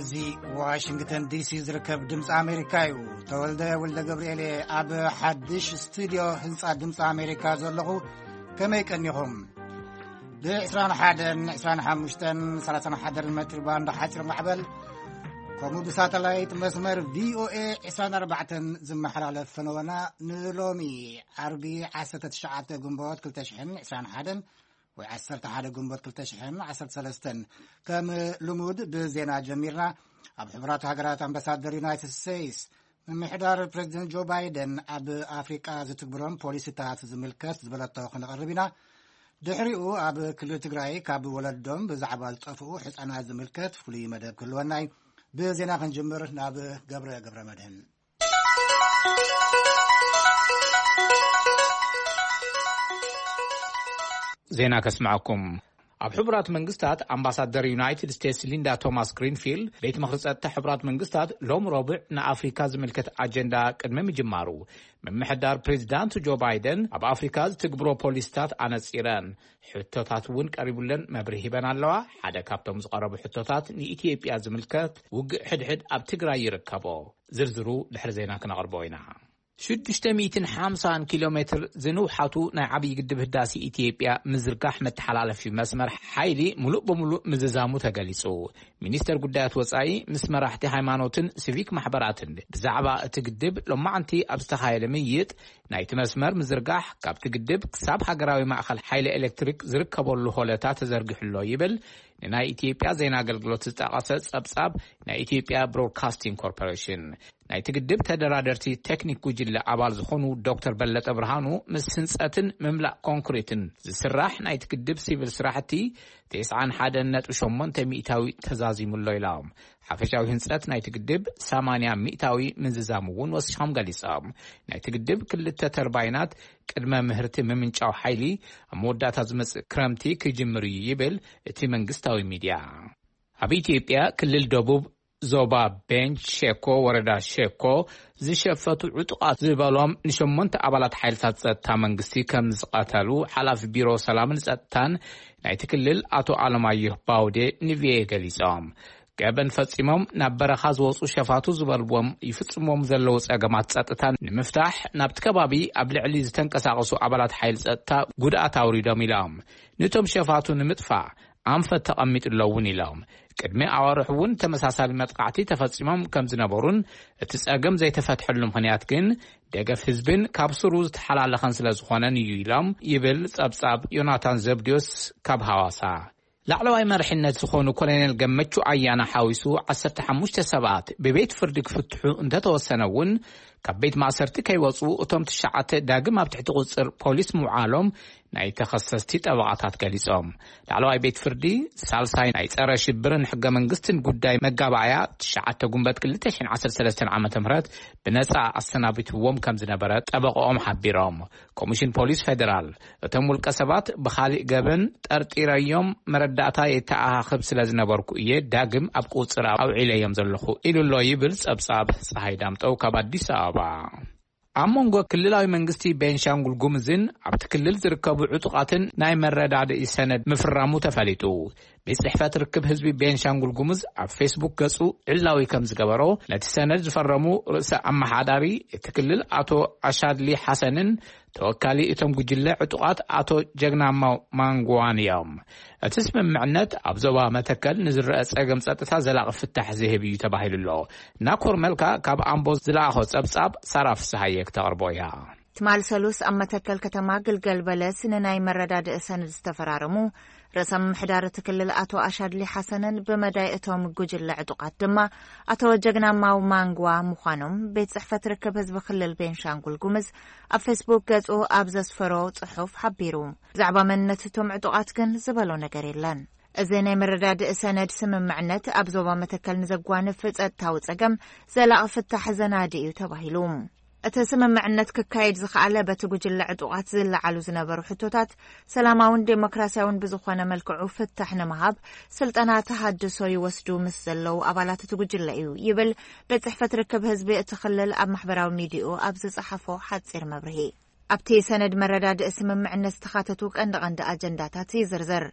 እዚ ዋሽንግተን ዲሲ ዝርከብ ድምፂ ኣሜሪካ እዩ። ተወልደ ወልደ ገብርኤል እየ፣ ኣብ ሓድሽ ስቱድዮ ህንፃ ድምፂ ኣሜሪካ ዘለኹ። ከመይ ቀኒኹም? ብ21፣ 25፣ 31 ሜትር ባንድ ሓፂር ማዕበል፣ ከምኡ ብሳተላይት መስመር ቪኦኤ 24 ዝመሓላለፍ ፈነወና፣ ንሎሚ ዓርቢ 19 ግንቦት 2021 ወይ 11 ግንቦት 2013። ከም ልሙድ ብዜና ጀሚርና። ኣብ ሕቡራት ሃገራት ኣምባሳደር ዩናይትድ ስቴትስ፣ ምምሕዳር ፕሬዚደንት ጆ ባይደን ኣብ ኣፍሪቃ ዝትግብሮም ፖሊሲታት ዝምልከት ዝበለቶ ክነቕርብ ኢና። ድሕሪኡ ኣብ ክልል ትግራይ ካብ ወለዶም ብዛዕባ ዝጠፍኡ ሕፃናት ዝምልከት ፍሉይ መደብ ክህልወና እዩ። ብዜና ክንጅምር ናብ ገብረ ገብረ መድህን። ዜና ከስምዓኩም። ኣብ ሕቡራት መንግስታት ኣምባሳደር ዩናይትድ ስቴትስ ሊንዳ ቶማስ ግሪንፊልድ፣ ቤት ምኽሪ ጸጥታ ሕቡራት መንግስታት ሎም ረቡዕ ንኣፍሪካ ዝምልከት ኣጀንዳ ቅድሚ ምጅማሩ፣ ምምሕዳር ፕሬዚዳንት ጆ ባይደን ኣብ ኣፍሪካ ዝትግብሮ ፖሊሲታት ኣነጺረን። ሕቶታት እውን ቀሪቡለን መብርሂ ሂበን ኣለዋ። ሓደ ካብቶም ዝቐረቡ ሕቶታት ንኢትዮጵያ ዝምልከት ውግእ ሕድሕድ ኣብ ትግራይ ይርከቦ። ዝርዝሩ ድሕሪ ዜና ክነቕርቦ ኢና። 650 ኪሎ ሜትር ዝንውሓቱ ናይ ዓብዪ ግድብ ህዳሴ ኢትዮጵያ ምዝርጋሕ መተሓላለፊ መስመር ሓይሊ ሙሉእ ብሙሉእ ምዝዛሙ ተገሊጹ። ሚኒስተር ጉዳያት ወጻኢ ምስ መራሕቲ ሃይማኖትን ሲቪክ ማሕበራትን ብዛዕባ እቲ ግድብ ሎማዕንቲ ኣብ ዝተኻየደ ምይይጥ፣ ናይቲ መስመር ምዝርጋሕ ካብቲ ግድብ ክሳብ ሃገራዊ ማእኸል ሓይሊ ኤሌክትሪክ ዝርከበሉ ሆለታ ተዘርጊሑ ኣሎ ይብል ንናይ ኢትዮጵያ ዜና ኣገልግሎት ዝጠቐሰ ጸብጻብ ናይ ኢትዮጵያ ብሮድካስቲንግ ኮርፖሬሽን። ናይቲ ግድብ ተደራደርቲ ቴክኒክ ጉጅለ ኣባል ዝኾኑ ዶክተር በለጠ ብርሃኑ፣ ምስ ህንጸትን ምምላእ ኮንክሪትን ዝስራሕ ናይቲ ግድብ ሲቪል ስራሕቲ 91.8% ተዛዚሙ ኣሎ ኢሎም። ሓፈሻዊ ህንጸት ናይቲ ግድብ 80% ምዝዛሙ እውን ወሲኾም ገሊጾም። ናይቲ ግድብ ክልተ ተርባይናት ቅድመ ምህርቲ ምምንጫው ሓይሊ ኣብ መወዳእታ ዝመጽእ ክረምቲ ክጅምር እዩ ይብል እቲ መንግስታዊ ሚድያ። ኣብ ኢትዮጵያ ክልል ደቡብ ዞባ ቤንች ሸኮ፣ ወረዳ ሸኮ ዝሸፈቱ ዕጡቓት ዝበሎም ንሸሞንተ ኣባላት ሓይልታት ጸጥታ መንግስቲ ከም ዝቐተሉ ሓላፊ ቢሮ ሰላምን ጸጥታን ናይቲ ክልል ኣቶ ኣለማየሁ ባውዴ ንቪኦኤ ገሊጾም። ገበን ፈጺሞም ናብ በረኻ ዝወጹ ሸፋቱ ዝበልዎም ይፍጽሞም ዘለዉ ጸገማት ጸጥታ ንምፍታሕ ናብቲ ከባቢ ኣብ ልዕሊ ዝተንቀሳቐሱ ኣባላት ሓይሊ ጸጥታ ጉድኣት ኣውሪዶም ኢሎም። ነቶም ሸፋቱ ንምጥፋእ ኣንፈት ተቐሚጡ ኣሎ እውን ኢሎም። ቅድሚ ኣዋርሕ እውን ተመሳሳሊ መጥቃዕቲ ተፈጺሞም ከም ዝነበሩን እቲ ጸገም ዘይተፈትሐሉ ምኽንያት ግን ደገፍ ህዝብን ካብ ስሩ ዝተሓላለኸን ስለ ዝኾነን እዩ ኢሎም ይብል ጸብጻብ ዮናታን ዘብድዮስ ካብ ሃዋሳ። ላዕለዋይ መሪሕነት ዝኾኑ ኮሎኔል ገመቹ ኣያና ሓዊሱ 15 ሰባት ብቤት ፍርዲ ክፍትሑ እንተተወሰነ እውን፣ ካብ ቤት ማእሰርቲ ከይወጹ እቶም ትሽዓተ ዳግም ኣብ ትሕቲ ቁጽር ፖሊስ ምውዓሎም ናይ ተኸሰስቲ ጠበቓታት ገሊጾም። ላዕለዋይ ቤት ፍርዲ ሳልሳይ ናይ ጸረ ሽብርን ሕገ መንግስትን ጉዳይ መጋባእያ 9 ጉንበት 2013 ዓ.ም ብነጻ ኣሰናቢትዎም ከም ዝነበረ ጠበቓኦም ሓቢሮም። ኮሚሽን ፖሊስ ፌደራል፣ እቶም ውልቀ ሰባት ብኻሊእ ገበን ጠርጢረዮም መረዳእታ የተኣኻኽብ ስለ ዝነበርኩ እየ ዳግም ኣብ ቁጽር ኣውዒለዮም ዘለኹ ኢሉ ኣሎ ይብል ጸብጻብ ጸሃይ ዳምጠው ካብ ኣዲስ ኣበባ። ኣብ መንጎ ክልላዊ መንግስቲ ቤንሻንጉል ጉምዝን ኣብቲ ክልል ዝርከቡ ዕጡቓትን ናይ መረዳድኢ ሰነድ ምፍራሙ ተፈሊጡ። ቤት ጽሕፈት ርክብ ህዝቢ ቤንሻንጉል ጉሙዝ ኣብ ፌስቡክ ገጹ ዕላዊ ከም ዝገበሮ፣ ነቲ ሰነድ ዝፈረሙ ርእሰ ኣመሓዳሪ እቲ ክልል ኣቶ ኣሻድሊ ሓሰንን ተወካሊ እቶም ጉጅለ ዕጡቓት ኣቶ ጀግናማው ማንጉዋን እዮም። እቲ ስምምዕነት ኣብ ዞባ መተከል ንዝረአ ጸገም ጸጥታ ዘላቒ ፍታሕ ዝህብ እዩ ተባሂሉ ኣሎ። ናኮር መልካ ካብ ኣምቦ ዝለኣኾ ጸብጻብ ሳራ ፍስሃየ ክተቕርቦ እያ። ትማል ሰሉስ ኣብ መተከል ከተማ ግልገል በለስ ንናይ መረዳድኢ ሰነድ ዝተፈራረሙ ርእሰ ምምሕዳር እቲ ክልል ኣቶ ኣሻድሊ ሓሰንን ብመዳይ እቶም ጉጅለ ዕጡቓት ድማ ኣቶ ጀግናማው ማንጓ ምዃኖም ቤት ጽሕፈት ርክብ ህዝቢ ክልል ቤንሻንጉል ጉምዝ ኣብ ፌስቡክ ገጹ ኣብ ዘስፈሮ ጽሑፍ ሓቢሩ። ብዛዕባ መንነት እቶም ዕጡቓት ግን ዝበሎ ነገር የለን። እዚ ናይ መረዳድኢ ሰነድ ስምምዕነት ኣብ ዞባ መተከል ንዘጓንፍ ጸጥታዊ ጸገም ዘላቒ ፍታሕ ዘናዲ እዩ ተባሂሉ። እቲ ስምምዕነት ክካየድ ዝኸኣለ በቲ ጉጅለ ዕጡቓት ዝለዓሉ ዝነበሩ ሕቶታት ሰላማውን ዴሞክራሲያውን ብዝኾነ መልክዑ ፍታሕ ንምሃብ ስልጠና ተሃድሶ ይወስዱ ምስ ዘለዉ ኣባላት እቲ ጉጅለ እዩ ይብል ቤት ጽሕፈት ርክብ ህዝቢ እቲ ክልል ኣብ ማሕበራዊ ሚዲያኡ ኣብ ዝጸሓፎ ሓጺር መብርሂ። ኣብቲ ሰነድ መረዳድኢ ስምምዕነት ዝተኻተቱ ቀንዲ ቀንዲ ኣጀንዳታት ይዝርዝር።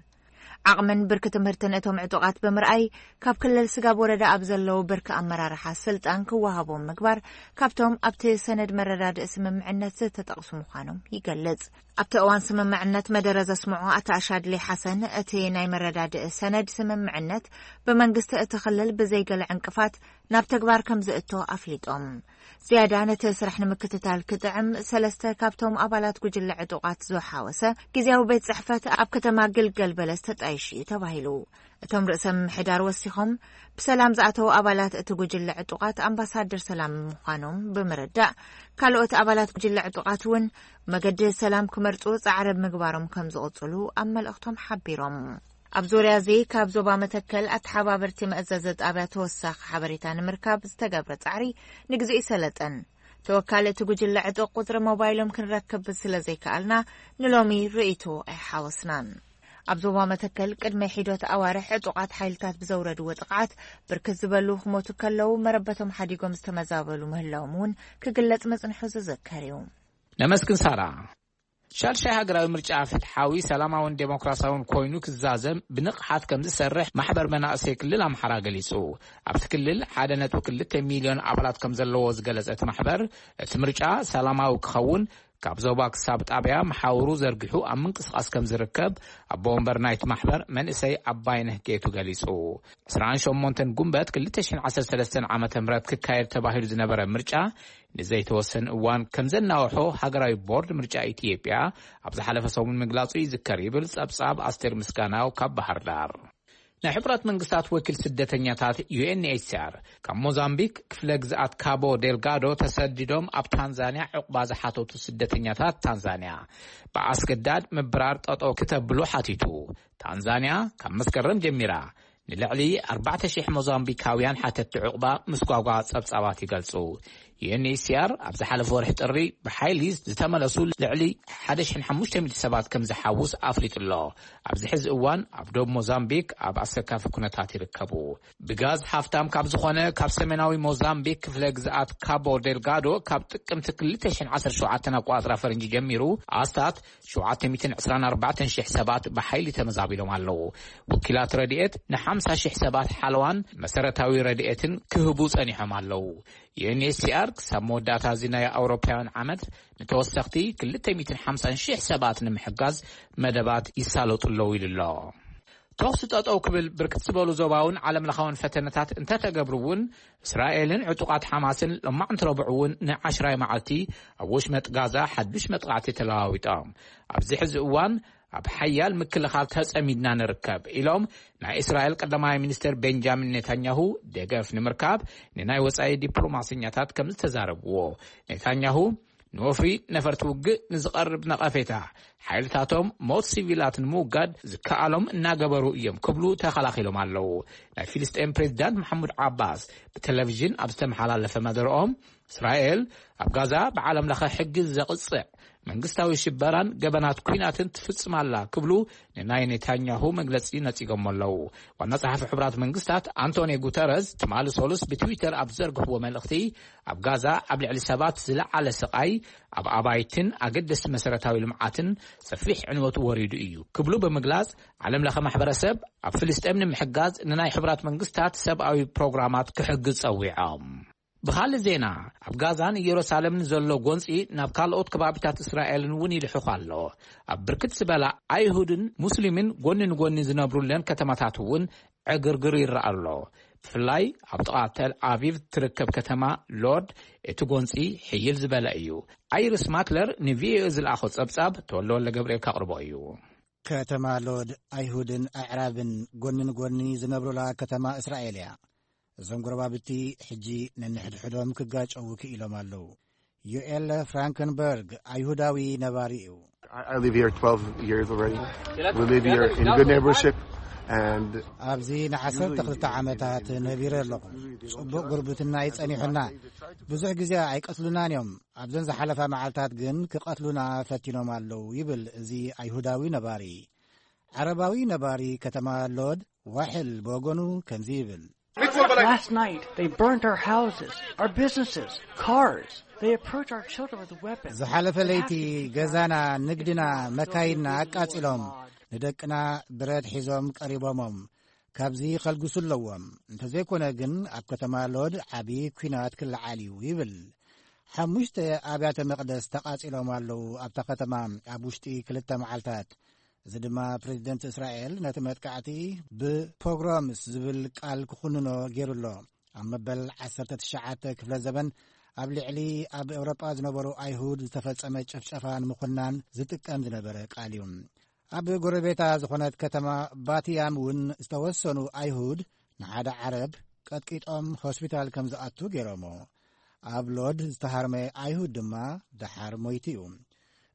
ዓቕምን ብርኪ ትምህርትን እቶም ዕጡቓት ብምርኣይ፣ ካብ ክልል ስጋብ ወረዳ ኣብ ዘለዉ ብርኪ ኣመራርሓ ስልጣን ክወሃቦም ምግባር ካብቶም ኣብቲ ሰነድ መረዳድእ ስምምዕነት ዝተጠቕሱ ምዃኖም ይገልጽ። ኣብቲ እዋን ስምምዕነት መደረ ዘስምዑ ኣቶ ኣሻድሊ ሓሰን፣ እቲ ናይ መረዳድእ ሰነድ ስምምዕነት ብመንግስቲ እቲ ክልል ብዘይገለ ዕንቅፋት ናብ ተግባር ከም ዝእቶ ኣፍሊጦም። ዝያዳ ነቲ ስራሕ ንምክትታል ክጥዕም፣ ሰለስተ ካብቶም ኣባላት ጉጅለ ዕጡቓት ዝሓወሰ ግዜያዊ ቤት ጽሕፈት ኣብ ከተማ ግልገል በለስ ተጣይሹ እዩ ተባሂሉ። እቶም ርእሰ ምምሕዳር ወሲኾም፣ ብሰላም ዝኣተዉ ኣባላት እቲ ጉጅለ ዕጡቓት ኣምባሳደር ሰላም ምዃኖም ብምርዳእ፣ ካልኦት ኣባላት ጉጅለ ዕጡቓት እውን መገዲ ሰላም ክመርጹ ጻዕሪ ምግባሮም ከም ዝቕጽሉ ኣብ መልእኽቶም ሓቢሮም። ኣብ ዙርያ እዚ ካብ ዞባ መተከል ኣተሓባበርቲ መእዘዚ ጣብያ ተወሳኺ ሓበሬታ ንምርካብ ዝተገብረ ጻዕሪ ንግዜኡ ሰለጠን። ተወካሊ እቲ ጉጅለ ዕጡቕ ቁጽሪ ሞባይሎም ክንረክብ ስለ ዘይከኣልና ንሎሚ ርእይቶ ኣይሓወስናን። ኣብ ዞባ መተከል ቅድሚ ሒደት ኣዋርሕ ዕጡቓት ሓይልታት ብዘውረድዎ ጥቕዓት ብርክት ዝበሉ ክሞቱ ከለዉ መረበቶም ሓዲጎም ዝተመዛበሉ ምህላዎም እውን ክግለጽ ምጽንሑ ዝዝከር እዩ። ነመስግን ሳራ። ሻድሻይ ሃገራዊ ምርጫ ፍትሓዊ፣ ሰላማውን ዴሞክራሲያውን ኮይኑ ክዛዘም ብንቕሓት ከም ዝሰርሕ ማሕበር መናእሰይ ክልል ኣምሓራ ገሊጹ። ኣብቲ ክልል ሓደ ነጥቢ ክልተ ሚልዮን ኣባላት ከም ዘለዎ ዝገለጸ እቲ ማሕበር፣ እቲ ምርጫ ሰላማዊ ክኸውን ካብ ዞባ ክሳብ ጣብያ መሓውሩ ዘርጊሑ ኣብ ምንቅስቓስ ከም ዝርከብ ኣቦ ወንበር ናይቲ ማሕበር መንእሰይ ኣባይነህ ጌቱ ገሊጹ። ዕስራን ሸሞንተን ጉንበት ክልተ ሽሕን ዓሰርተ ሰለስተን ዓመተ ምህረት ክካየድ ተባሂሉ ዝነበረ ምርጫ ንዘይተወሰነ እዋን ከም ዘናውሖ ሃገራዊ ቦርድ ምርጫ ኢትዮጵያ ኣብ ዝሓለፈ ሰሙን ምግላጹ ይዝከር ይብል ጸብጻብ ኣስቴር ምስጋናው ካብ ባህር ዳር። ናይ ሕቡራት መንግስታት ወኪል ስደተኛታት ዩ ኤን ኤች ሲ ኣር ካብ ሞዛምቢክ ክፍለ ግዝኣት ካቦ ዴልጋዶ ተሰዲዶም ኣብ ታንዛንያ ዕቑባ ዝሓተቱ ስደተኛታት ታንዛንያ ብኣስገዳድ ምብራር ጠጠው ክተብሉ ሓቲቱ። ታንዛንያ ካብ መስከረም ጀሚራ ንልዕሊ ኣርባዕተ ሽሕ ሞዛምቢካውያን ሓተቲ ዕቑባ ምስጓጓ ጸብጻባት ይገልጹ። ዩ ኤን ኤች ሲ ኣር ኣብ ዝሓለፈ ወርሒ ጥሪ ብሓይሊ ዝተመለሱ ልዕሊ ሓደ ሽሕን ሓሙሽተ ሚእቲ ሰባት ከም ዝሓውስ ኣፍሊጡ ኣሎ። ኣብዚ ሕዚ እዋን ኣብ ዶብ ሞዛምቢክ ኣብ ኣሰካፊ ኩነታት ይርከቡ። ብጋዝ ሃፍታም ካብ ዝኾነ ካብ ሰሜናዊ ሞዛምቢክ ክፍለ ግዝኣት ካቦ ዴልጋዶ ካብ ጥቅምቲ ክልተ ሽሕን ዓሰርተ ሸውዓተን ኣቆጻጽራ ፈረንጂ ጀሚሩ ኣስታት ሸውዓተ ሚእትን ዕስራን ኣርባዕተን ሽሕ ሰባት ብሓይሊ ተመዛቢሎም ኣለዉ። ወኪላት ረድኤት ንሓምሳ ሽሕ ሰባት ሓለዋን መሰረታዊ ረድኤትን ክህቡ ጸኒሖም ኣለዉ። ዩ ኤን ኤች ሲ ኣር ክሳብ መወዳእታ እዚ ናይ ኣውሮፓውያን ዓመት ንተወሰኽቲ ክልተ ሚእትን ሓምሳን ሽሕ ሰባት ንምሕጋዝ መደባት ይሳለጡ ኣለዉ ኢሉ ኣሎ። ተኹሲ ጠጠው ክብል ብርክት ዝበሉ ዞባውን ዓለም ለኻውን ፈተነታት እንተተገብሩ እውን፣ እስራኤልን ዕጡቓት ሓማስን ሎማዕንቲ ረቡዕ እውን ንዓሽራይ መዓልቲ ኣብ ወሽመጥ ጋዛ ሓዱሽ መጥቃዕቲ ተለዋዊጦም። ኣብዚ ሕዚ እዋን ኣብ ሓያል ምክልኻል ተጸሚድና ንርከብ ኢሎም ናይ እስራኤል ቀዳማይ ሚኒስትር ቤንጃሚን ኔታንያሁ ደገፍ ንምርካብ ንናይ ወጻኢ ዲፕሎማሰኛታት ከም ዝተዛረብዎ ኔታንያሁ ንወፍሪ ነፈርቲ ውግእ ንዝቐርብ ነቐፌታ፣ ሓይልታቶም ሞት ሲቪላት ንምውጋድ ዝከኣሎም እናገበሩ እዮም ክብሉ ተኸላኺሎም ኣለዉ። ናይ ፊልስጤም ፕሬዚዳንት መሓሙድ ዓባስ ብቴሌቪዥን ኣብ ዝተመሓላለፈ መደረኦም፣ እስራኤል ኣብ ጋዛ ብዓለም ለኸ ሕጊ ዘቕጽዕ መንግስታዊ ሽበራን ገበናት ኲናትን ትፍጽም ኣላ ክብሉ ንናይ ኔታንያሁ መግለጺ ነጺጎሞ ኣለዉ። ዋና ጸሓፊ ሕቡራት መንግስታት ኣንቶኒ ጉተረዝ ትማሊ ሶሉስ ብትዊተር ኣብ ዘርግሕዎ መልእኽቲ፣ ኣብ ጋዛ ኣብ ልዕሊ ሰባት ዝለዓለ ስቓይ፣ ኣብ ኣባይትን ኣገደስቲ መሰረታዊ ልምዓትን ሰፊሕ ዕንወት ወሪዱ እዩ ክብሉ ብምግላጽ፣ ዓለም ለኸ ማሕበረሰብ ኣብ ፍልስጤም ንምሕጋዝ ንናይ ሕቡራት መንግስታት ሰብኣዊ ፕሮግራማት ክሕግዝ ጸዊዖም። ብኻልእ ዜና፣ ኣብ ጋዛን ኢየሩሳሌምን ዘሎ ጎንጺ ናብ ካልኦት ከባቢታት እስራኤልን እውን ይልሕኹ ኣሎ። ኣብ ብርክት ዝበላ ኣይሁድን ሙስሊምን ጎኒ ንጎኒ ዝነብሩለን ከተማታት እውን ዕግርግር ይረኣ ኣሎ። ብፍላይ ኣብ ጥቓ ተል ኣቪቭ ትርከብ ከተማ ሎርድ እቲ ጎንጺ ሕይል ዝበለ እዩ። ኣይርስ ማክለር ንቪኦኤ ዝለኣኾ ጸብጻብ ተወልደ ወልደ ገብርኤል ከቕርቦ እዩ። ከተማ ሎድ ኣይሁድን ኣዕራብን ጎኒ ንጎኒ ዝነብሩላ ከተማ እስራኤል እያ። እዞም ጎረባብቲ ሕጂ ነንሕድሕዶም ክጋጨዉ ክኢሎም ኣለዉ። ዮኤል ፍራንከንበርግ ኣይሁዳዊ ነባሪ እዩ። I I live here twelve years already. We live here in good neighborship and ኣብዚ ንዓሰርተ ክልተ ዓመታት ነቢረ ኣለኹ። ጽቡቕ ጉርብትና ይጸኒሑና። ብዙሕ ግዜ ኣይቀትሉናን እዮም። ኣብዘን ዝሓለፋ መዓልታት ግን ክቐትሉና ፈቲኖም ኣለዉ ይብል እዚ ኣይሁዳዊ ነባሪ። ዓረባዊ ነባሪ ከተማ ሎድ ዋሕል ብወገኑ ከምዚ ይብል። Last night, they burned our houses, our businesses, cars. They approach our children with weapons. ዝሓለፈ ለይቲ ገዛና፣ ንግድና፣ መካይንና ኣቃጺሎም። ንደቅና ብረት ሒዞም ቀሪቦሞም፣ ካብዚ ከልግሱ ኣለዎም፣ እንተዘይኮነ ግን ኣብ ከተማ ሎድ ዓቢ ኲናት ክለዓል እዩ ይብል። ሓሙሽተ ኣብያተ መቕደስ ተቓጺሎም ኣለዉ ኣብታ ከተማ ኣብ ውሽጢ ክልተ መዓልታት። እዚ ድማ ፕሬዚደንት እስራኤል ነቲ መጥቃዕቲ ብፖግሮምስ ዝብል ቃል ክኹንኖ ገይሩ ኣሎ። ኣብ መበል ዓሰርተ ትሽዓተ ክፍለ ዘበን ኣብ ልዕሊ ኣብ ኤውሮጳ ዝነበሩ ኣይሁድ ዝተፈጸመ ጭፍጨፋ ንምኹናን ዝጥቀም ዝነበረ ቃል እዩ። ኣብ ጎረቤታ ዝኾነት ከተማ ባትያም እውን ዝተወሰኑ ኣይሁድ ንሓደ ዓረብ ቀጥቂጦም ሆስፒታል ከም ዝኣቱ ገይሮሞ። ኣብ ሎድ ዝተሃርመ ኣይሁድ ድማ ደሓር ሞይቱ እዩ።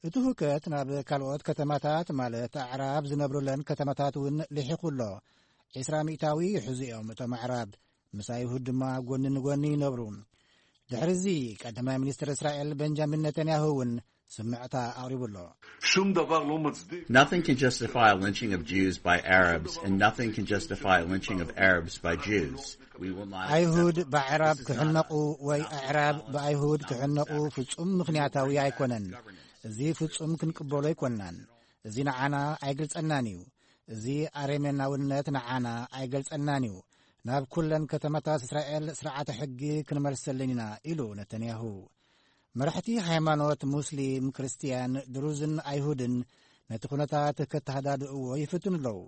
እቲ ሁከት ናብ ካልኦት ከተማታት ማለት ኣዕራብ ዝነብሩለን ከተማታት እውን ልሒኹ ኣሎ። ዒስራ ሚእታዊ ይሕዙ እዮም እቶም ኣዕራብ፣ ምስ ኣይሁድ ድማ ጎኒ ንጎኒ ይነብሩ። ድሕሪ እዚ ቀዳማይ ሚኒስትር እስራኤል ቤንጃሚን ነተንያሁ እውን ስምዕታ ኣቕሪቡ ኣሎ። שום דבר לא מצדיק Nothing can justify a lynching of Jews by Arabs, and nothing can justify a lynching of Arabs by Jews. We will not accept ኣይሁድ ብኣዕራብ This is not ክሕነቑ ወይ ኣዕራብ ብኣይሁድ ክሕነቑ ፍጹም ምኽንያታዊ ኣይኮነን። እዚ ፍጹም ክንቅበሎ ኣይኮንናን። እዚ ንዓና ኣይገልጸናን እዩ። እዚ ኣረሜናውነት ንዓና ኣይገልጸናን እዩ። ናብ ኩለን ከተማታት እስራኤል ስርዓተ ሕጊ ክንመልሰለን ኢና ኢሉ ነተንያሁ። መራሕቲ ሃይማኖት ሙስሊም፣ ክርስትያን፣ ድሩዝን ኣይሁድን ነቲ ኩነታት ከተሃዳድእዎ ይፍትኑ ኣለዉ።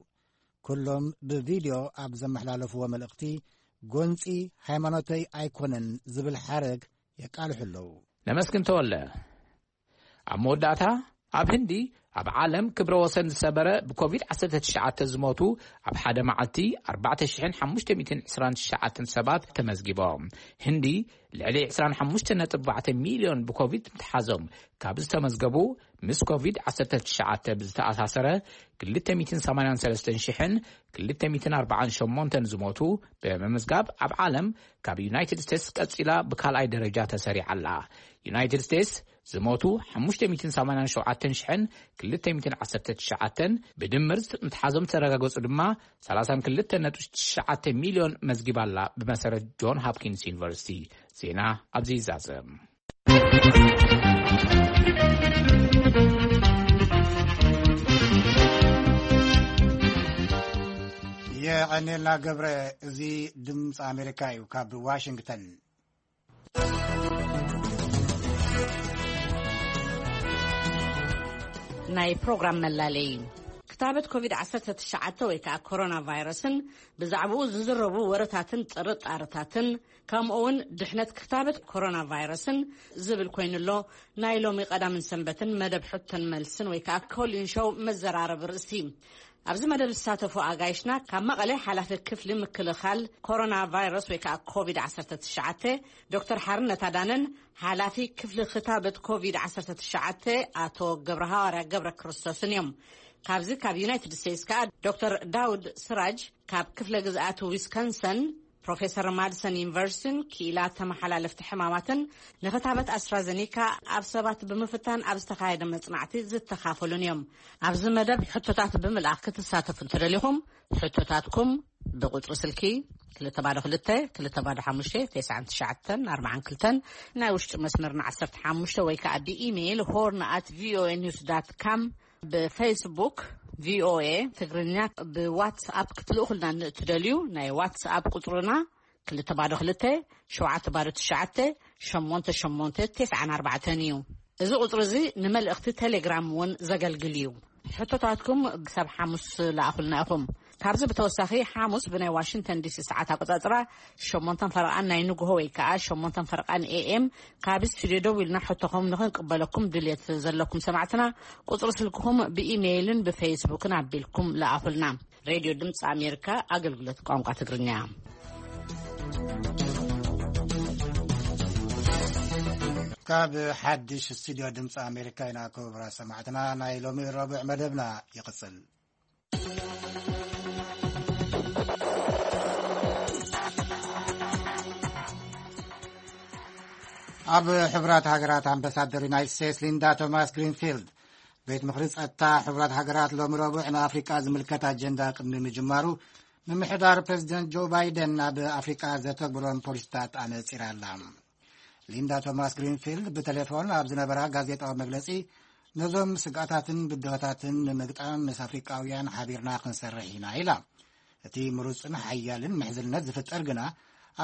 ኩሎም ብቪድዮ ኣብ ዘመሓላለፍዎ መልእኽቲ ጎንጺ ሃይማኖተይ ኣይኮነን ዝብል ሓረግ የቃልሑ ኣለዉ። ነመስግን ተወለ። ኣብ መወዳእታ፣ ኣብ ህንዲ ኣብ ዓለም ክብረ ወሰን ዝሰበረ ብኮቪድ ዓሰርተ ትሽዓተ ዝሞቱ ኣብ ሓደ መዓልቲ ኣርባዕተ ሽሕን ሓሙሽተ ሚእትን ዕስራን ትሽዓተን ሰባት ተመዝጊቦም። ህንዲ ልዕሊ ዕስራን ሓሙሽተ ነጥቢ ኣርባዕተ ሚልዮን ብኮቪድ ምትሓዞም ካብ ዝተመዝገቡ፣ ምስ ኮቪድ ዓሰርተ ትሽዓተ ብዝተኣሳሰረ ክልተ ሚእትን ሰማንያን ሰለስተን ሽሕን ክልተ ሚእትን ኣርባዓን ሸሞንተን ዝሞቱ ብምምዝጋብ ኣብ ዓለም ካብ ዩናይትድ ስቴትስ ቀጺላ ብካልኣይ ደረጃ ተሰሪዓ ኣላ። ዩናይትድ ስቴትስ ዝሞቱ ሓሙሽተ ሚእትን ሰማንያን ሸውዓተን ሽሕን ክልተ ሚእትን ዓሰርተ ትሽዓተን፣ ብድምር ምትሓዞም ዝተረጋገጹ ድማ ሰላሳን ክልተን ነጥቢ ትሽዓተ ሚልዮን መዝጊባ ኣላ። ብመሰረት ጆን ሆፕኪንስ ዩኒቨርሲቲ። ዜና ኣብዚ ይዛዘም። የቐኔልና ገብረ። እዚ ድምፂ ኣሜሪካ እዩ ካብ ዋሽንግተን። ናይ ፕሮግራም መላለይ። ክታበት ኮቪድ ዓሰርተ ትሽዓተ ወይ ከዓ ኮሮና ቫይረስን ብዛዕባኡ ዝዝረቡ ወረታትን ጥርጣረታትን፣ ከምኡ እውን ድሕነት ክታበት ኮሮና ቫይረስን ዝብል ኮይኑ ኣሎ። ናይ ሎሚ ቀዳምን ሰንበትን መደብ ሕቶን መልስን ወይ ከዓ ኮሊን ሾው መዘራረቢ ርእሲ። ኣብዚ መደብ ዝሳተፉ ኣጋይሽና፣ ካብ መቐለ ሓላፊ ክፍሊ ምክልኻል ኮሮና ቫይረስ ወይ ከዓ ኮቪድ ዓሰርተ ትሽዓተ ዶክተር ሓርነት ኣዳነን ሓላፊ ክፍሊ ክታበት ኮቪድ ዓሰርተ ትሽዓተ ኣቶ ገብረ ሃዋርያ ገብረ ክርስቶስን እዮም። ካብዚ ካብ ዩናይትድ ስቴትስ ከዓ ዶክተር ዳውድ ስራጅ ካብ ክፍለ ግዝኣት ዊስኮንሰን፣ ፕሮፌሰር ማድሰን ዩኒቨርሲቲን ክኢላ ተመሓላለፍቲ ሕማማትን ንክታበት ኣስትራዘኒካ ኣብ ሰባት ብምፍታን ኣብ ዝተኻየደ መጽናዕቲ ዝተኻፈሉን እዮም። ኣብዚ መደብ ሕቶታት ብምልኣኽ ክትሳተፉ እንተደሊኹም፣ ሕቶታትኩም ብቁጽሪ ስልኪ ክልተ ባዶ ክልተ፣ ክልተ ባዶ ሓሙሽተ፣ ተስዓን ትሽዓተን ኣርባዓን ክልተን፣ ናይ ውሽጢ መስመርና ዓሰርተ ሓሙሽተ ወይ ከዓ ብኢሜይል ሆርን ኣት ቪኦኤ ኒውስ ዳት ካም፣ ብፌስቡክ ቪኦኤ ትግርኛ፣ ብዋትስኣፕ ክትልእኹልና ንእትደልዩ ናይ ዋትስኣፕ ቁጽርና ክልተ ባዶ ክልተ፣ ሸውዓተ ባዶ ትሽዓተ፣ ሸሞንተ ሸሞንተ፣ ተስዓን ኣርባዕተን እዩ። እዚ ቁጽሪ እዚ ንመልእኽቲ ቴሌግራም እውን ዘገልግል እዩ። ሕቶታትኩም ክሳብ ሓሙስ ለኣኹልና ኢኹም። ካብዚ ብተወሳኺ ሓሙስ ብናይ ዋሽንግተን ዲሲ ሰዓት ኣቆጻጽራ ሸሞንተን ፈረቓን ናይ ንግሆ ወይ ከዓ ሸሞንተን ፈረቓን ኤኤም ካብ ስቱድዮ ደዊልና ሕቶኹም ንኽንቅበለኩም ድልየት ዘለኩም ሰማዕትና ቁጽሪ ስልክኹም ብኢሜይልን ብፌስቡክን ኣቢልኩም ለኣኹልና። ሬድዮ ድምፂ ኣሜሪካ ኣገልግሎት ቋንቋ ትግርኛ። ካብ ሓድሽ ስቱድዮ ድምፂ ኣሜሪካ ኢና ክቡራት ሰማዕትና። ናይ ሎሚ ረቡዕ መደብና ይቕጽል። ኣብ ሕቡራት ሃገራት ኣምባሳደር ዩናይትድ ስቴትስ ሊንዳ ቶማስ ግሪንፊልድ፣ ቤት ምኽሪ ጸጥታ ሕቡራት ሃገራት ሎሚ ረቡዕ ንኣፍሪቃ ዝምልከት ኣጀንዳ ቅድሚ ምጅማሩ፣ ምምሕዳር ፕሬዚደንት ጆ ባይደን ናብ ኣፍሪቃ ዘተግብሮም ፖሊሲታት ኣነጺራ ኣላ። ሊንዳ ቶማስ ግሪንፊልድ ብቴሌፎን ኣብ ዝነበራ ጋዜጣዊ መግለጺ፣ ነዞም ስግኣታትን ብድሆታትን ንምግጣም ምስ ኣፍሪቃውያን ሓቢርና ክንሰርሕ ኢና ኢላ። እቲ ምሩጽን ሓያልን ምሕዝነት ዝፍጠር ግና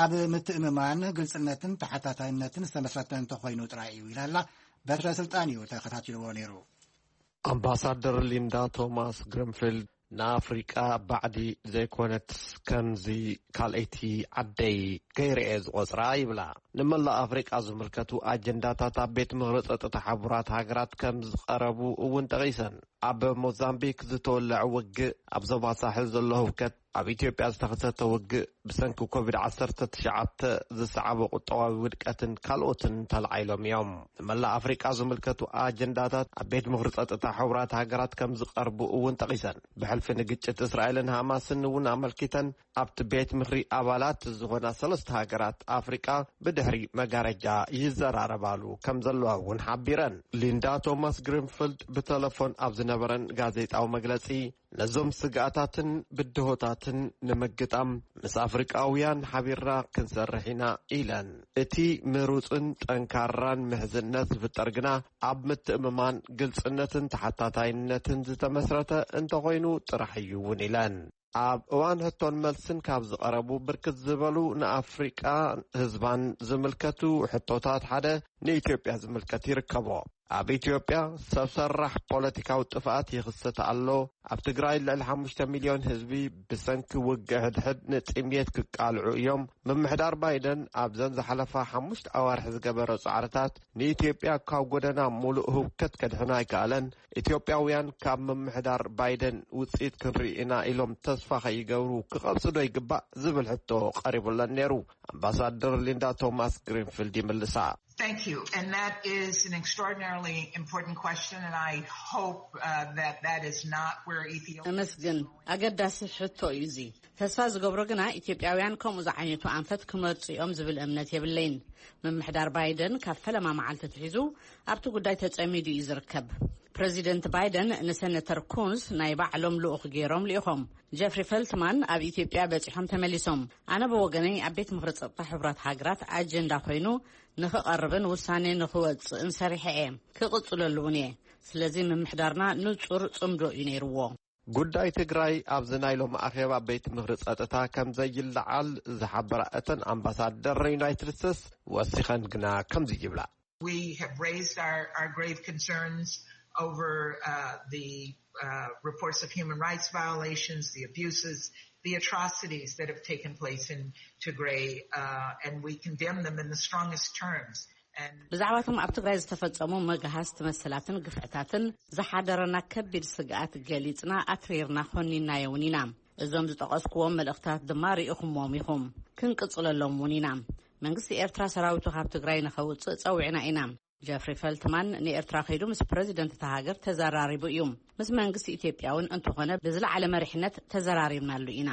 ኣብ ምትእምማን፣ ግልጽነትን ተሓታታይነትን ዝተመስረተ እንተኾይኑ ጥራይ እዩ ኢላላ። በትረ ስልጣን እዩ ተኸታቲልዎ ነይሩ። ኣምባሳደር ሊንዳ ቶማስ ግሪንፊልድ ንኣፍሪቃ ባዕዲ ዘይኮነትስ ከምዚ ካልኣይቲ ዓደይ ገይረ እየ ዝቖጽራ ይብላ። ንመላእ ኣፍሪቃ ዝምልከቱ ኣጀንዳታት ኣብ ቤት ምኽሪ ጸጥታ ሕቡራት ሃገራት ከም ዝቐረቡ እውን ጠቒሰን። ኣብ ሞዛምቢክ ዝተወለዐ ውግእ፣ ኣብ ዞባ ሳሕል ዘሎ ህውከት፣ ኣብ ኢትዮጵያ ዝተኸሰተ ውግእ፣ ብሰንኪ ኮቪድ ዓሰርተ ትሽዓተ ዝሰዓቦ ቁጠባዊ ውድቀትን ካልኦትን ተላዒሎም እዮም። ንመላእ ኣፍሪቃ ዝምልከቱ ኣጀንዳታት ኣብ ቤት ምኽሪ ጸጥታ ሕቡራት ሃገራት ከም ዝቐርቡ እውን ጠቒሰን። ብሕልፊ ንግጭት እስራኤልን ሃማስን እውን ኣመልኪተን ኣብቲ ቤት ምኽሪ ኣባላት ዝኾና ሰለስተ ሃገራት ኣፍሪቃ ብድሕሪ መጋረጃ ይዘራረባሉ ከም ዘለዋ እውን ሓቢረን። ሊንዳ ቶማስ ግሪንፊልድ ብተለፎን ኣብ ዝነበረን ጋዜጣዊ መግለጺ፣ ነዞም ስግኣታትን ብድሆታትን ንምግጣም ምስ ኣፍሪቃውያን ሓቢርና ክንሰርሕ ኢና ኢለን። እቲ ምሩጽን ጠንካራን ምሕዝነት ዝፍጠር ግና ኣብ ምትእምማን፣ ግልጽነትን ተሓታታይነትን ዝተመስረተ እንተኾይኑ ጥራሕ እዩ እውን ኢለን። ኣብ እዋን ሕቶን መልስን ካብ ዝቐረቡ ብርክት ዝበሉ ንኣፍሪቃ ህዝባን ዝምልከቱ ሕቶታት ሓደ ንኢትዮጵያ ዝምልከት ይርከቦ። ኣብ ኢትዮጵያ ሰብ ሰራሕ ፖለቲካዊ ጥፍኣት ይኽሰት ኣሎ። ኣብ ትግራይ ልዕሊ ሓሙሽተ ሚልዮን ህዝቢ ብሰንኪ ውግእ ሕድሕድ ንጥምየት ክቃልዑ እዮም። ምምሕዳር ባይደን ኣብዘን ዝሓለፋ ሓሙሽተ ኣዋርሕ ዝገበሮ ጻዕርታት ንኢትዮጵያ ካብ ጎደና ሙሉእ ህውከት ከድሕና ኣይከኣለን። ኢትዮጵያውያን ካብ ምምሕዳር ባይደን ውጽኢት ክንርኢ ኢና ኢሎም ተስፋ ከይገብሩ ክቐብጹ ዶ ይግባእ ዝብል ሕቶ ቀሪቡለን ነይሩ። ኣምባሳደር ሊንዳ ቶማስ ግሪንፊልድ ይምልሳ። Thank you. And that is an extraordinarily important question, and I hope uh, that that is not where Ethiopia. እመስግን። ኣገዳሲ ሕቶ እዩ እዚ። ተስፋ ዝገብሮ ግና ኢትዮጵያውያን ከምኡ ዝዓይነቱ ኣንፈት ክመርጹ እዮም ዝብል እምነት የብለይን። ምምሕዳር ባይደን ካብ ፈለማ መዓልቲ ትሒዙ ኣብቲ ጉዳይ ተጸሚዱ እዩ ዝርከብ። ፕረዚደንት ባይደን ንሰነተር ኩንስ ናይ ባዕሎም ልኡኽ ገይሮም ልኢኾም። ጀፍሪ ፈልትማን ኣብ ኢትዮጵያ በጺሖም ተመሊሶም። ኣነ ብወገነይ ኣብ ቤት ምኽሪ ጸጥታ ሕቡራት ሃገራት ኣጀንዳ ኮይኑ ንኽቐርብን ውሳኔ ንኽወጽእን ሰሪሐ እየ። ክቕጽለሉ እውን እየ። ስለዚ ምምሕዳርና ንጹር ጽምዶ እዩ ነይርዎ። ጉዳይ ትግራይ ኣብዚ ናይ ሎም ኣኼባ ቤት ምኽሪ ጸጥታ ከም ዘይለዓል ዝሓበራ እተን ኣምባሳደር ዩናይትድ ስቴትስ ወሲኸን ግና ከምዚ ይብላ። We have raised our, our grave concerns over uh, the uh, reports of human rights violations, the abuses, the atrocities that have taken place in Tigray, uh, and we condemn them in the strongest terms. And ብዛዕባቶም ኣብ ትግራይ ዝተፈጸሙ መግሃስቲ መሰላትን ግፍዕታትን ዝሓደረና ከቢድ ስግኣት ገሊጽና ኣትሪርና ኮኒናዮ እውን ኢና። እዞም ዝጠቐስኩዎም መልእኽታት ድማ ርኢኹምዎም ኢኹም። ክንቅጽለሎም እውን ኢና። መንግስቲ ኤርትራ ሰራዊቱ ካብ ትግራይ ንኸውጽእ ጸዊዕና ኢና። ጀፍሪ ፈልትማን ንኤርትራ ከይዱ ምስ ፕረዚደንት እታ ሃገር ተዘራሪቡ እዩ። ምስ መንግስቲ ኢትዮጵያ እውን እንተኾነ ብዝለዓለ መሪሕነት ተዘራሪብናሉ ኢና።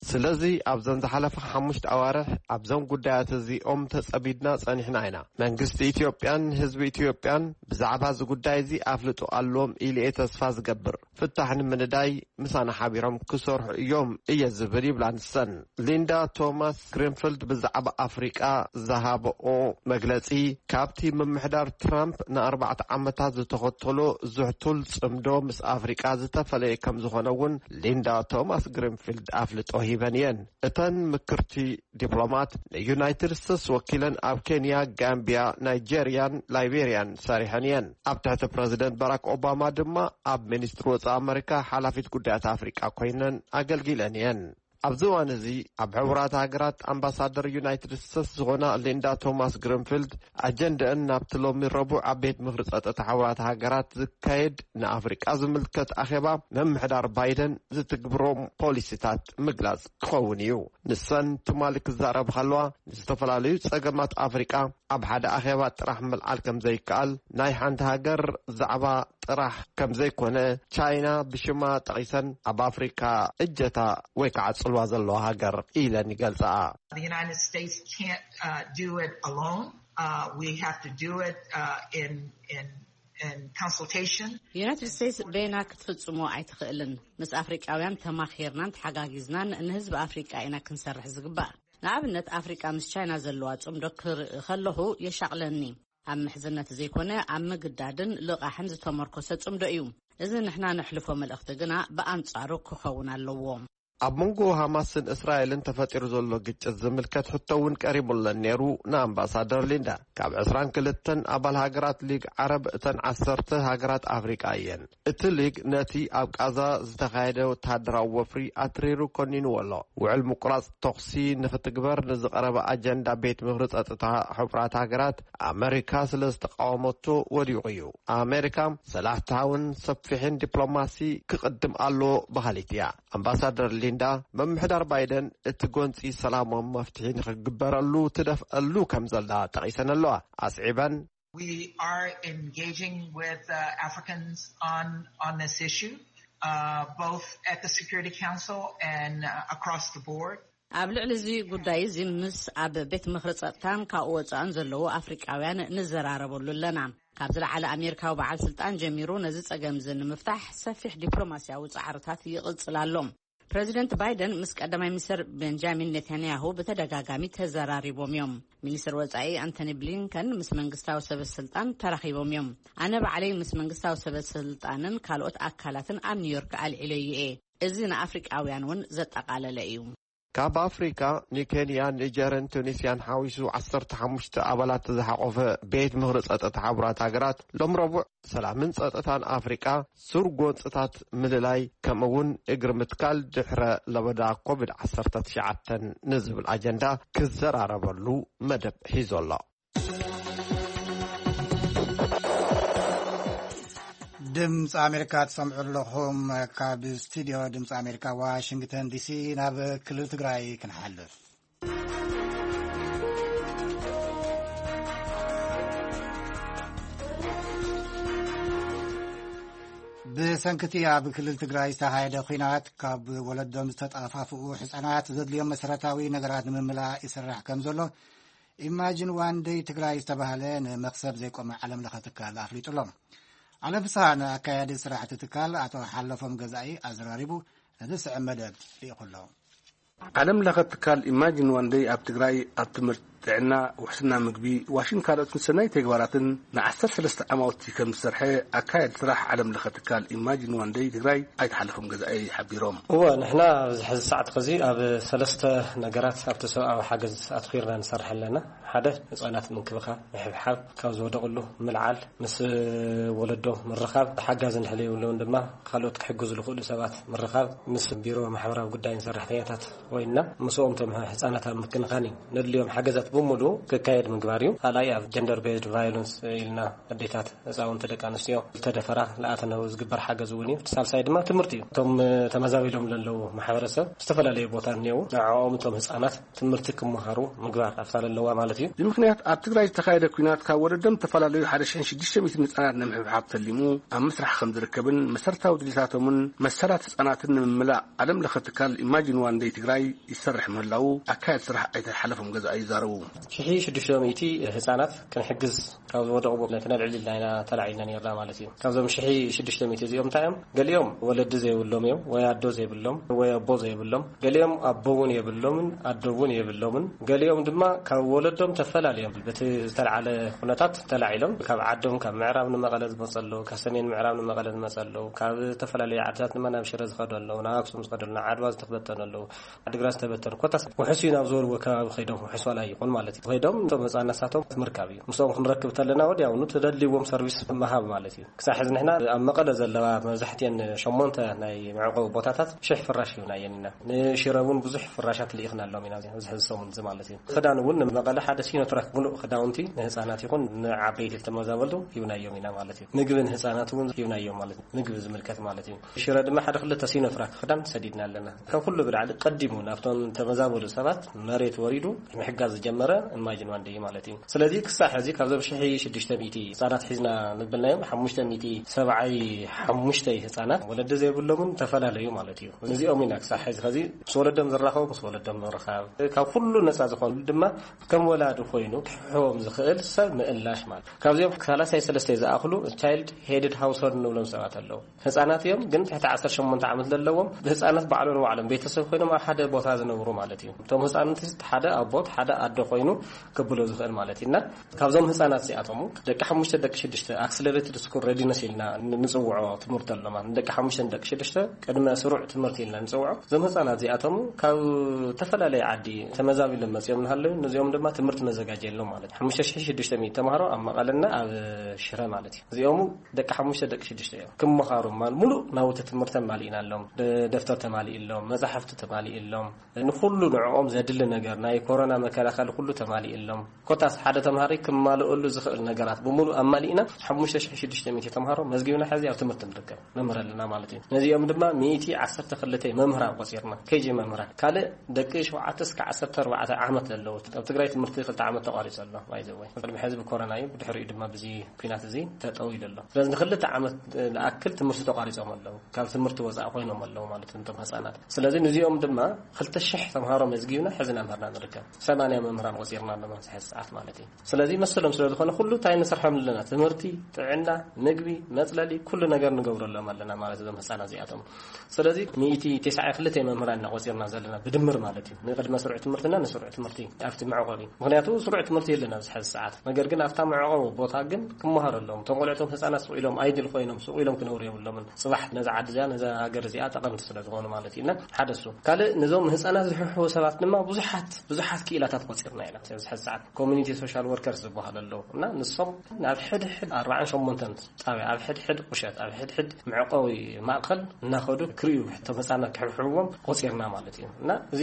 ስለዚ ኣብዘን ዝሓለፋ ሓሙሽተ ኣዋርሕ ኣብዘን ጉዳያት እዚኦም ተጸሚድና ጸኒሕና ኢና። መንግስቲ ኢትዮጵያን ህዝቢ ኢትዮጵያን ብዛዕባ እዚ ጉዳይ እዚ ኣፍልጦ ኣለዎም ኢሉ እየ ተስፋ ዝገብር። ፍታሕ ንምንዳይ ምሳና ሓቢሮም ክሰርሑ እዮም እየ ዝብል ይብላ ንሰን። ሊንዳ ቶማስ ግሪንፊልድ ብዛዕባ ኣፍሪቃ ዝሃበኦ መግለጺ ካብቲ ምምሕዳር ትራምፕ ንኣርባዕተ ዓመታት ዝተኸተሎ ዝሕቱል ጽምዶ ምስ ኣፍሪቃ ዝተፈለየ ከም ዝኾነ እውን ሊንዳ ቶማስ ግሪንፊልድ ኣፍልጦ ሂበን እየን። እተን ምክርቲ ዲፕሎማት ንዩናይትድ ስቴትስ ወኪለን ኣብ ኬንያ፣ ጋምቢያ፣ ናይጄሪያን ላይቤሪያን ሰሪሐን እየን። ኣብ ትሕቲ ፕረዚደንት ባራክ ኦባማ ድማ ኣብ ሚኒስትሪ ወጻኢ ኣመሪካ ሓላፊት ጉዳያት ኣፍሪቃ ኮይነን ኣገልጊለን እየን። ኣብዚ እዋን እዚ ኣብ ሕቡራት ሃገራት ኣምባሳደር ዩናይትድ ስቴትስ ዝኾና ሊንዳ ቶማስ ግሪንፊልድ ኣጀንደአን ናብቲ ሎሚ ረቡዕ ኣብ ቤት ምኽሪ ጸጥታ ሕቡራት ሃገራት ዝካየድ ንኣፍሪቃ ዝምልከት ኣኼባ ምምሕዳር ባይደን ዝትግብሮም ፖሊሲታት ምግላጽ ክኸውን እዩ። ንሰን ትማሊ ክዛረብ ከለዋ ንዝተፈላለዩ ጸገማት ኣፍሪቃ ኣብ ሓደ ኣኼባ ጥራሕ ምልዓል ከም ዘይከኣል፣ ናይ ሓንቲ ሃገር ዛዕባ ጥራሕ ከም ዘይኮነ ቻይና ብሽማ ጠቒሰን ኣብ ኣፍሪካ እጀታ ወይ ከዓ ጽልዋ ዘለዋ ሃገር ኢለን ይገልጻኣ። The United States can't uh, do it alone. Uh, we have to do it uh, in in in consultation. ዩናይትድ ስቴትስ በይና ክትፍጽሞ ኣይትኽእልን። ምስ ኣፍሪቃውያን ተማኺርናን ተሓጋጊዝናን ንህዝቢ ኣፍሪቃ ኢና ክንሰርሕ ዝግባእ። ንኣብነት ኣፍሪቃ ምስ ቻይና ዘለዋ ጽምዶ ክርኢ ከለኹ የሻቕለኒ። ኣብ ምሕዝነት ዘይኮነ ኣብ ምግዳድን ልቓሕን ዝተመርኮሰ ጽምዶ እዩ። እዚ ንሕና ነሕልፎ መልእኽቲ ግና ብኣንጻሩ ክኸውን ኣለዎ። ኣብ መንጎ ሃማስን እስራኤልን ተፈጢሩ ዘሎ ግጭት ዝምልከት ሕቶ እውን ቀሪቡለን ነይሩ ንኣምባሳደር ሊንዳ። ካብ ዕስራን ክልተን ኣባል ሃገራት ሊግ ዓረብ፣ እተን ዓሰርተ ሃገራት ኣፍሪቃ እየን። እቲ ሊግ ነቲ ኣብ ቃዛ ዝተኻየደ ወተሃደራዊ ወፍሪ ኣትሪሩ ኮኒንዎ ኣሎ። ውዕል ምቁራጽ ተኹሲ ንኽትግበር ንዝቐረበ ኣጀንዳ ቤት ምኽሪ ጸጥታ ሕቡራት ሃገራት፣ ኣመሪካ ስለ ዝተቃወመቶ ወዲቑ እዩ። ኣመሪካ ሰላሕታውን ሰፊሕን ዲፕሎማሲ ክቕድም ኣለዎ በሃሊት እያ። ኣምባሳደር ሊንዳ፣ ምምሕዳር ባይደን እቲ ጎንጺ ሰላማዊ መፍትሒ ንኽግበረሉ ትደፍአሉ ከም ዘላ ጠቒሰን ኣለዋ። ኣስዒበን፣ We are engaging with uh, Africans on on this issue, uh, both at the Security Council and uh, across the board. ኣብ ልዕሊ እዚ ጉዳይ እዚ ምስ ኣብ ቤት ምኽሪ ጸጥታን ካብኡ ወጻእን ዘለዉ ኣፍሪቃውያን ንዘራረበሉ ኣለና። ካብ ዝለዓለ ኣሜሪካዊ በዓል ስልጣን ጀሚሩ ነዚ ጸገም እዚ ንምፍታሕ ሰፊሕ ዲፕሎማስያዊ ጻዕርታት ይቕጽል ኣሎ። ፕረዚደንት ባይደን ምስ ቀዳማይ ሚኒስትር ቤንጃሚን ኔታንያሁ ብተደጋጋሚ ተዘራሪቦም እዮም። ሚኒስትር ወጻኢ ኣንቶኒ ብሊንከን ምስ መንግስታዊ ሰበ ስልጣን ተራኺቦም እዮም። ኣነ ባዕለይ ምስ መንግስታዊ ሰበ ስልጣንን ካልኦት ኣካላትን ኣብ ኒውዮርክ ኣልዒለዮ እየ። እዚ ንኣፍሪቃውያን እውን ዘጠቓለለ እዩ። ካብ ኣፍሪካ ንኬንያን ኒጀርን ቱኒስያን ሓዊሱ ዓሰርተ ሓሙሽተ ኣባላት ዝሓቆፈ ቤት ምኽሪ ጸጥታ ሕቡራት ሃገራት ሎም ረቡዕ ሰላምን ጸጥታን ኣፍሪቃ፣ ሱር ጎንጽታት ምልላይ፣ ከምኡ እውን እግሪ ምትካል ድሕረ ለበዳ ኮቪድ ዓሰርተ ትሽዓተ ንዝብል ኣጀንዳ ክዘራረበሉ መደብ ሒዙ ኣሎ። ድምፂ ኣሜሪካ ትሰምዑ ኣለኹም። ካብ ስቱዲዮ ድምፂ ኣሜሪካ ዋሽንግተን ዲሲ ናብ ክልል ትግራይ ክንሓልፍ። ብሰንክቲ ኣብ ክልል ትግራይ ዝተኻየደ ኲናት ካብ ወለዶም ዝተጠፋፍኡ ህፃናት ዘድልዮም መሰረታዊ ነገራት ንምምላእ ይስራሕ ከም ዘሎ ኢማጂን ዋን ደይ ትግራይ ዝተባህለ ንመኽሰብ ዘይቆመ ዓለም ለኸ ትካል ኣፍሊጡ ኣሎ። ዓለም ፍስሃ ንኣካያዲ ስራሕ እቲ ትካል ኣቶ ሓለፎም ገዛኢ ኣዘራሪቡ ነዚ ስዕብ መደብ ልኢኹ ኣሎ። ዓለም ለኸ ትካል ኢማጂን ዋን ደይ ኣብ ትግራይ ኣብ ትምህርቲ፣ ጥዕና፣ ውሕስና ምግቢ፣ ዋሽን ካልኦትን ሰናይ ተግባራትን ንዓሰርተ ሰለስተ ዓማውቲ ከም ዝሰርሐ ኣካያዲ ስራሕ ዓለም ለኸ ትካል ኢማጂን ዋን ደይ ትግራይ ኣይተ ሓለፎም ገዛኢ ሓቢሮም። እወ፣ ንሕና ኣብዚ ሕዚ ሰዓት ኸዚ ኣብ ሰለስተ ነገራት ኣብቲ ሰብኣዊ ሓገዝ ኣትኺርና ንሰርሕ ኣለና። ሓደ፣ ህፃናት ምንክብኻብ፣ ምሕብሓብ፣ ካብ ዝወደቕሉ ምልዓል፣ ምስ ወለዶ ምርኻብ፣ ሓጋዚ እንድሕር የብሎም ድማ ካልኦት ክሕግዙ ዝኽእሉ ሰባት ምርኻብ፣ ምስ ቢሮ ማሕበራዊ ጉዳይን ሰራሕተኛታት ኮይንና ምስኦም እቶም ህፃናት ኣብ ምክንኻን እዩ ነድልዮም ሓገዛት ብምሉኡ ክካየድ ምግባር እዩ። ካልኣይ ኣብ ጀንደር ቤዝድ ቫዮለንስ ኢልና ኣዴታት፣ ህፃውንቲ፣ ደቂ ኣንስትዮ ዝተደፈራ፣ ለኣተነው ዝግበር ሓገዝ እውን እዩ። እቲ ሳልሳይ ድማ ትምህርቲ እዩ። እቶም ተመዛቢሎም ዘለዉ ማሕበረሰብ ዝተፈላለዩ ቦታ እኒአው፣ ንዕኦም እቶም ህፃናት ትምህርቲ ክመሃሩ ምግባር ኣብታ ዘለዋ ማለት እዩ። ብምኽንያት ኣብ ትግራይ ዝተኻየደ ኲናት ካብ ወለዶም ዝተፈላለዩ ሓደ ሽሕን ሽዱሽተ ሚእትን ህፃናት ንምሕብሓብ ተሊሙ ኣብ ምስራሕ ከም ዝርከብን መሰረታዊ ድሌታቶምን መሰላት ህፃናትን ንምምላእ ዓለም ለኸ ትካል ኢማጂን ዋን ደይ ትግራይ ይሰርሕ ምህላው ኣካየድ ስራሕ ኣይተ ሓለፎም ገዛኢ ይዛረቡ። ሽሕን ሽዱሽተ ሚእቲ ህፃናት ክንሕግዝ ካብ ዝወደቑ ነቲ ነልዕል ኢልና ኢና ተላዒልና ነርና ማለት እዩ። ካብዞም ሽሕን ሽዱሽተ ሚእቲ እዚኦም እንታይ እዮም? ገሊኦም ወለዲ ዘይብሎም እዮም፣ ወይ ኣዶ ዘይብሎም፣ ወይ ኣቦ ዘይብሎም። ገሊኦም ኣቦ እውን የብሎምን ኣዶ እውን የብሎምን። ገሊኦም ድማ ካብ ወለዶም ተፈላልዮም በቲ ዝተልዓለ ኩነታት ተላዒሎም ካብ ዓዶም፣ ካብ ምዕራብ ንመቐለ ዝመፁ ኣለዉ፣ ካብ ሰሜን ምዕራብ ንመቐለ ዝመፁ ኣለዉ፣ ካብ ዝተፈላለዩ ዓድታት ድማ ናብ ሽረ ዝኸዱ ኣለዉ፣ ናብ ኣክሱም ዝኸዱ ኣለዉ፣ ናብ ዓድዋ ዝተበተኑ ኣለዉ። ዓድግራት ዝተበተኑ ኮታስ ውሕስ እዩ ናብ ዝበልዎ ከባቢ ከይዶም፣ ውሕስ ዋላ ይኹን ማለት እዩ፣ ከይዶም እቶም ህፃን ነሳቶም ምርካብ እዩ። ምስኦም ክንረክብ ተለና ወዲያውኑ ተደልይዎም ሰርቪስ ምሃብ ማለት እዩ። ክሳብ ሕዚ ንሕና ኣብ መቐለ ዘለዋ መብዛሕትኤን ሸሞንተ ናይ መዕቆቢ ቦታታት ሽሕ ፍራሽ ሂብናየን ኢና። ንሽረ እውን ብዙሕ ፍራሻት ልኢኽናሎም ኢና ኣብዚ ሕዚ ሰሙን እዚ ማለት እዩ። ክዳን እውን ንመቐለ ሓደ ሲኖትራክ ምሉእ ክዳውንቲ ንህፃናት ይኹን ንዓበይቲ ተመዛበልቱ ሂብናዮም ኢና ማለት እዩ። ምግቢ ንህፃናት እውን ሂብናዮም ማለት እዩ። ምግቢ ዝምልከት ማለት እዩ። ሽረ ድማ ሓደ ክልተ ሲኖትራክ ክዳን ሰዲድና ኣለና። ካብ ኩሉ ብላዕሊ ቀዲሙ ናብቶም ተመዛበሉ ሰባት መሬት ወሪዱ ምሕጋዝ ዝጀመረ ኢማጂን ዋን ደይ ማለት እዩ። ስለዚ ክሳዕ ሕዚ ካብዞም ሽሕ ሽዱሽተ ሚእቲ ህፃናት ሒዝና ንብልናዮም ሓሙሽተ ሚእቲ ሰብዓይ ሓሙሽተ ህፃናት ወለዲ ዘይብሎምን ተፈላለዩ ማለት እዩ። እዚኦም ኢና ክሳዕ ሕዚ ኸዚ ምስ ወለዶም ዝራኸቡ ምስ ወለዶም ምርኻብ፣ ካብ ኩሉ ነፃ ዝኾኑ ድማ ከም ወላዲ ኮይኑ ክሕዎም ዝኽእል ሰብ ምእላሽ ማለት እዩ። ካብዚኦም ሰላሳ ሰለስተ ዝኣኽሉ ቻይልድ ሄድድ ሃውስሆልድ ንብሎም ሰባት ኣለዉ። ህፃናት እዮም፣ ግን ትሕቲ ዓሰርተ ሸሞንተ ዓመት ዘለዎም ህፃናት ባዕሎም ንባዕሎም ቤተሰብ ኮይኖም ኣብ ሓደ ቦታ ዝነብሩ ማለት እዩ። እቶም ህፃናት ሓደ ኣቦት ሓደ ኣዶ ኮይኑ ክብሎ ዝኽእል ማለት እዩ። እና ካብዞም ህፃናት እዚኣቶም ደቂ ሓሙሽተ፣ ደቂ ሽዱሽተ፣ ኣክስለሬትድ ስኩል ሬዲነስ ኢልና ንፅውዖ ትምህርቲ ኣሎ ማለት፣ ደቂ ሓሙሽተ፣ ደቂ ሽዱሽተ ቅድመ ስሩዕ ትምህርቲ ኢልና ንፅውዖ። እዞም ህፃናት እዚኣቶም ካብ ዝተፈላለየ ዓዲ ተመዛቢሎም መፅኦም እናሃለዉ፣ ነዚኦም ድማ ትምህርቲ መዘጋጀየሎም ማለት እዩ። ሓሙሽተ ሽሕን ሽዱሽተ ሚእቲ ተምሃሮ ኣብ መቐለና ኣብ ሽረ ማለት እዩ። እዚኦም ደቂ ሓሙሽተ፣ ደቂ ሽዱሽተ እዮም። ክመሃሩ ማል ሙሉእ ናውቲ ትምህርቲ ተማሊእናሎም፣ ደ-፣ ደፍተር ተማሊእሎም፣ መፃሕፍቲ ተማሊእሎም፣ ንኩሉ ንዕኦም ዘድሊ ነገር፣ ናይ ኮሮና መከላኸሊ ኩሉ ተማሊእሎም። ኮታስ ሓደ ተምሃሪ ክማልኦሉ ዝኽእል ነገራት ብምሉእ ኣማሊእና፣ ሓሙሽተ ሽሕን ሽዱሽተ ሚእቲ ተምሃሮ መዝጊብና ሕዚ ኣብ ትምህርቲ ንርከብ፣ ነምህር ኣለና ማለት እዩ። ነዚኦም ድማ ሚእቲ ዓሰርተ ክልተ መምህራን ቆፂርና፣ ኬጂ መምህራን። ካልእ ደቂ ሸውዓተ እስከ ዓሰርተ ኣርባዕተ ዓመት ዘለዉ፣ ኣብ ትግራይ ትምህርቲ ክልተ ዓመት ተቋሪፁ ኣሎ፣ ባይዘወይ። ቅድሚ ሕዚ ብኮሮና እዩ፣ ብድሕሪኡ ድማ ብዚ ኲናት እዚ ተጠው ኢሉ ኣሎ። ስለዚ ንክልተ ዓመት ዝኣክል ትምህርቲ ተቋሪፆም ኣለዉ፣ ካብ ትምህርቲ ወፃኢ ኮይኖም ኣለዉ ማለት እዮም እቶም ህፃናት። ስለዚ ንዚኦም ድማ ክልተ ሽሕ ተምሃሮ መዝጊብና ሕዚ እናምህርና ንርከብ። ሰማንያ መምህራን ቆፂርና ኣለና ኣብዚ ሕዚ ሰዓት ማለት እዩ። ስለዚ መሰሎም ስለ ዝኾነ ኩሉ እንታይ ንሰርሖም ኣለና? ትምህርቲ፣ ጥዕና፣ ምግቢ፣ መፅለሊ፣ ኩሉ ነገር ንገብረሎም ኣለና ማለት እዞም ህፃናት እዚኣቶም። ስለዚ ሚእቲ ተስዓን ክልተ መምህራን ኢና ቆፂርና ዘለና ብድምር ማለት እዩ። ንቅድመ ስሩዕ ትምህርትና ንስሩዕ ትምህርቲ ኣብቲ መዕቆቢ። ምኽንያቱ ስሩዕ ትምህርቲ የለን ኣብዚ ሕዚ ሰዓት። ነገር ግን ኣብታ መዕቆቢ ቦታ ግን ክመሃሩ ኣለዎም። እቶም ቆልዑቶም ህፃናት ስቕ ኢሎም ኣይድል ኮይኖም ስቕ ኢሎም ክነብሩ የብሎምን። ፅባሕ ነዛ ዓዲ እዚኣ ነዛ ሃገር እዚኣ ጠቐምቲ ስለ ዝኾኑ ማለት እዩ። እና ሓደ እሱ። ካልእ ነዞም ህፃናት ዝሕሕቡ ሰባት ድማ ብዙሓት ብዙሓት ክኢላታት ቆፂርና ኢና ኣብዚ ሕዚ ሰዓት። ኮሚኒቲ ሶሻል ወርከርስ ዝበሃሉ ኣለዉ። እና ንሶም ናብ ሕድሕድ ኣርባዓን ሸሞንተን ጣብያ፣ ኣብ ሕድሕድ ቁሸት፣ ኣብ ሕድሕድ መዕቆቢ ማእከል እናኸዱ ክርእዩ፣ እቶም ህፃናት ክሕብሕብዎም ቆፂርና ማለት እዩ። እና እዚ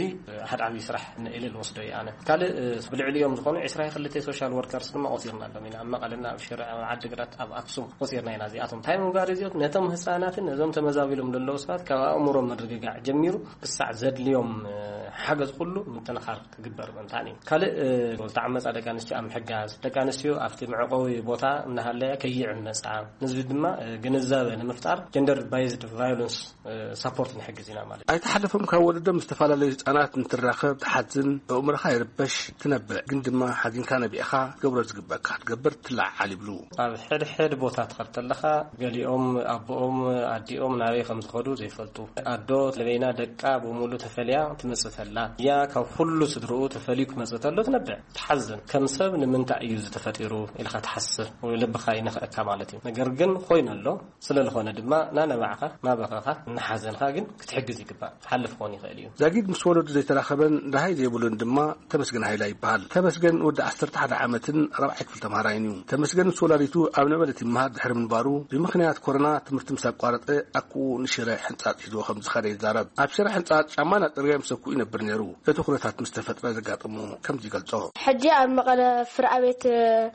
ሓደ ዓብዪ ስራሕ ኢለ ዝወስዶ እዩ ኣነ። ካልእ፣ እ፣ ብልዕሊኦም ዝኾኑ ዕስራ ክልተ ሶሻል ወርከርስ ድማ ቆፂርና ኣሎም ኢና። ኣብ መቐለና፣ ኣብ ሽረ፣ ኣብ ዓዲግራት፣ ኣብ ኣክሱም ቆፂርና ኢና። እዚኣቶም እንታይ ምግባር እዩ? እዚኦም ነቶም ህፃናትን ነዞም ተመዛቢሎም ዘለዉ ሰባት ካብ ኣእምሮ ምርግጋዕ ጀሚሩ ክሳዕ ዘድልዮም፣ እ፣ ሓገዝ ኩሉ ምጥንኻር ክግበር ምእንታን እዩ። ካልእ፣ እ፣ ዝተዓመፃ ደቂ ኣንስትዮ ኣብ ምሕጋዝ፣ ደቂ ኣንስትዮ ኣብቲ መዕቆቢ ቦታ እናሃለያ ከይዕመፃ፣ ንህዝቢ ድማ፣ እ፣ ግንዛበ ንምፍጣር ጀንደር ባይዝድ ቫዮለንስ፣ እ፣ ሳፖርት ንሕግዝ ኢና ማለት እዩ። ኣይተሓለፎም ካብ ወለዶም ዝተፈላለዩ ህፃናት እንትራኸብ ትሓዝን፣ ኣእምሮኻ ይርበሽ፣ ትነብዕ፣ ግን ድማ ሓዚንካ ነቢዕኻ ትገብሮ ዝግበእካ ክትገብር ትለዓዓል ይብሉ። ኣብ ሕድሕድ ቦታ ትኸድ ተለኻ፣ ገሊኦም ኣቦኦም ኣዲኦም ናበይ ከም ዝኸዱ ዘይፈልጡ። ኣዶ ለበይና ደቃ ብሙሉ ተፈልያ ትመጽእ ተላ። እያ ካብ ኩሉ ስድርኡ ተፈልዩ ክመጽእ ተሎ ትነብዕ። ትሓዝን። ከም ሰብ ንምንታይ እዩ ዝተፈጢሩ ኢልኻ ትሓስብ። ወይ ልብኻ ይነኽአካ ማለት እዩ። ነገር ግን ኮይኑ ኣሎ። ስለ ዝኾነ ድማ ናነባዕኻ፣ ናበኸኻ፣ እናሓዘንኻ ግን ክትሕግዝ ይግባእ። ክሓልፍ ክኾን ይኽእል እዩ። ዛጊድ ምስ ወለዱ ዘይተራኸበን ደሃይ ዘይብሉን ድማ ተመስገን ሃይላ ይበሃል። ተመስገን ወዲ ዓሰርተ ሓደ ዓመትን ራብዓይ ክፍሊ ተምሃራይን እዩ። ተመስገን ምስ ወላዲቱ ኣብ ነበለት ይመሃር ድሕሪ ምንባሩ፣ ብምኽንያት ኮሮና ትምህርቲ ምስ ኣቋረጠ፣ ኣኩኡ ንሽረ ሕንጻጽ ሒዝዎ ከም ዝኸደ ይዛረብ። ኣብ ሽረ ሕንጻጽ ጫማ እናጸረገ ምስ ኣኩኡ ይነብር ነይሩ። እቲ ኩነታት ምስ ተፈጥረ ዘጋጠሞ ከምዚ ይገልጾ። ሕጂ ኣብ መቐለ ፍርኣቤት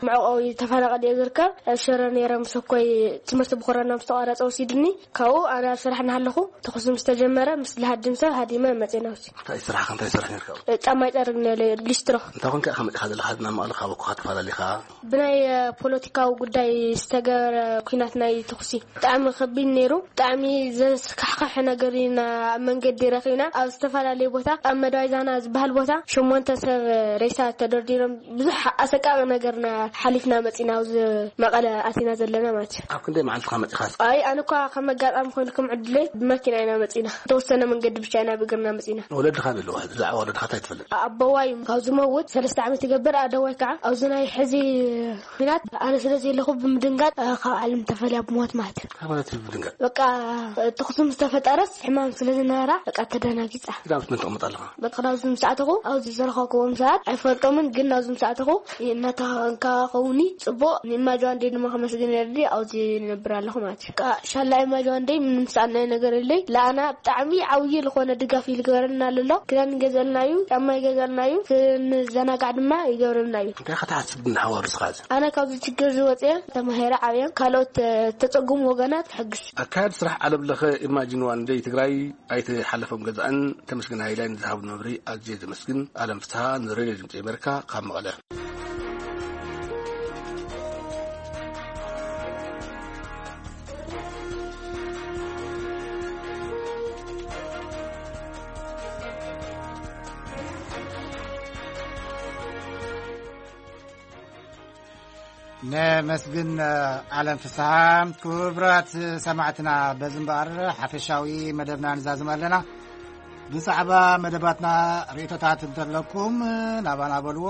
መዕቆቢ ተፈናቐል እየ ዝርከብ። ኣብ ሽረ ነይረ ምስ ኣኮይ ትምህርቲ ብኮሮና ምስ ተቋረጸ ወሲድኒ። ካብኡ ኣነ ኣብ ስራሕ እናሃለኹ ተኹሲ ምስ ተጀመረ፣ ምስ ዝሃድም ሰብ ሃዲመ መጼና ውሲ። እንታይ ስራሕ፣ እንታይ ስራሕ ነርካ? ጫማ ይጸርግ ነለ ሊስትሮ። እንታይ ኮንካ ኢኻ መጺኻ ዘለኻ? ናብ መቐለ ካብ ኣኮኻ ተፈላለኻ? ብናይ፣ እ፣ ፖለቲካዊ ጉዳይ ዝተገበረ ኲናት ናይ ተኹሲ ብጣዕሚ ከቢድ ነይሩ። ብጣዕሚ ዘስካሕክሕ ነገር ኢና ኣብ መንገዲ ረኺብና። ኣብ ዝተፈላለየ ቦታ፣ ኣብ መደዋይ ዛና ዝበሃል ቦታ፣ ሸሞንተ ሰብ ሬሳ ተደርዲሮም፣ ብዙሕ ኣሰቃቂ ነገርና ሓሊፍና መጺና፣ ኣብዚ መቐለ ኣቲና ዘለና ማለት እዩ። ኣብ ክንደይ መዓልትኻ መጺኻስ? ኣይ፣ ኣነ እኳ ከም ኣጋጣሚ ኮይኑ፣ ከም ዕድለይ ብመኪና ኢና መጺና። ዝተወሰነ መንገዲ ብቻ ኢና ብእግርና መጺና። ወለድኻ ዶ ኣለዉ? ብዛዕባ ወለድኻ እንታይ ትፈልጥ? ኣቦዋይ ካብ ዝመውት ሰለስተ ዓመት ይገብር። ኣደዋይ ከዓ ኣብዚ ናይ ሕዚ ኲናት ኣነ ስለ ዘለኹ ብምድንጋጽ፣ እ፣ ካብ ዓለም ተፈልያ ብሞት ማለት እዩ። እንታይ ማለት እዩ ብምድንጋጽ? በቃ፣ እ፣ ተኹሲ ምስ ተፈጠረስ ሕማም ስለ ዝነበራ በቃ ተደናጊጻ። ክዳውንቲ መን ተቐምጥ ኣለኻ? በቃ ናብዚ ምስ ኣተኹ ኣብዚ ዝረኸብክዎም ሰባት ኣይፈልጦምን፣ ግን ናብዚ ምስ ኣተኹ እናተኸንካኸውኒ ጽቡቕ። ንእማጅ ዋንዴ ድማ ከመስግን የድሊ ኣብዚ ንነብር ኣለኹ ማለት እዩ። በቃ ሻላ እማጅ ዋንዴ ምንም ዝሰኣናዮ ነገር የለይ። ለኣና ብጣዕሚ ዓብዪ ዝኾነ ድጋፍ እዩ ዝገበረልና ኣሎ። ክዳን ይገዘልና እዩ፣ ጫማ ይገዘልና እዩ፣ ክንዘናጋዕ ድማ ይገብረልና እዩ። እንታይ ክትሓስብ ግን ሓዋሩ ስኻ እዚ? ኣነ ካብዚ ችግር እዚ ወፅየ ተማሂረ ዓብየ ካልኦት፣ እ፣ ተፀጉሙ ወገናት ክሕግዝ። ኣካያዲ ስራሕ ዓለም ለኸ ኢማጂን ዋን ደይ ትግራይ ኣይተ ሓለፎም ገዛእን ተመስገን ሃይላይ ንዝሃቡ መብርሂ ኣዝየ ዘመስግን። ኣለም ፍስሃ ንሬድዮ ድምፂ ኣሜሪካ ካብ መቐለ። ነመስግን፣ እ፣ ዓለም ፍስሓ። ክቡራት ሰማዕትና፣ በዚ እምበኣር ሓፈሻዊ መደብና ንዛዝም ኣለና። ብዛዕባ መደባትና ርእይቶታት እንተለኩም ናባና በልዎ።